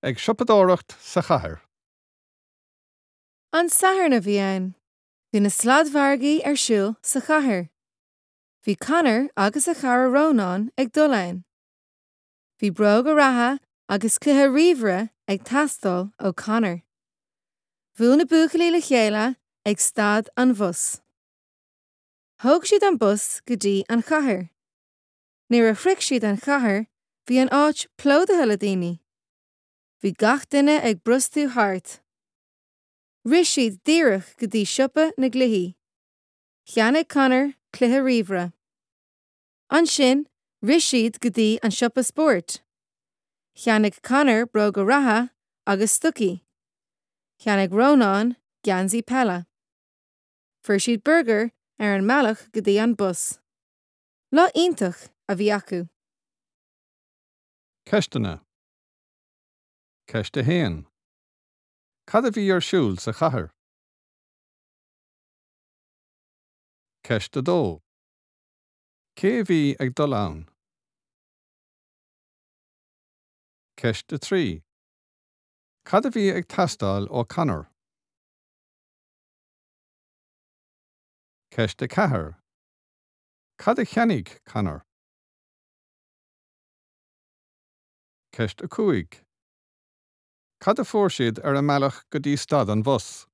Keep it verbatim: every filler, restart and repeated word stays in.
Ag siopadóireacht sa chathair. An Satharn a bhí ann. Bhí na sladmhargaí ar siúl sa chathair. Bhí Conor agus a chara Rónán ag dul ann. Bhí bróga reatha agus cluiche ríomhaire ag teastáil ó Conor. Bhuail na buachaillí le chéile ag stad an bhus. Thóg siad an bus go dtí an chathair. Nuair a shroich siad an chathair, bhí an áit plódaithe le daoine. Bhí gach duine ag brostú thart. Rith siad díreach go dtí siopa na gcluichí. Cheannaigh Conor cluiche ríomhaire. Ansin rith siad go dtí an siopa spóirt. Cheannaigh Conor bróga reatha agus stocaí. Cheannaigh Rónán geansaí peile. Fuair siad burgar ar an mbealach go dtí an bus. Lá iontach a bhí acu. Ceisteanna. Ceist a haon. Cad a bhí ar siúl sa chathair? Ceist a dó. Cé a bhí ag dul ann? Ceist a trí. Cad a bhí ag teastáil ó Conor? Ceist a ceathair. Cad a cheannaigh Conor? Ceist a cúig. Cad a fuair siad ar a mbealach go dtí stad an bhus?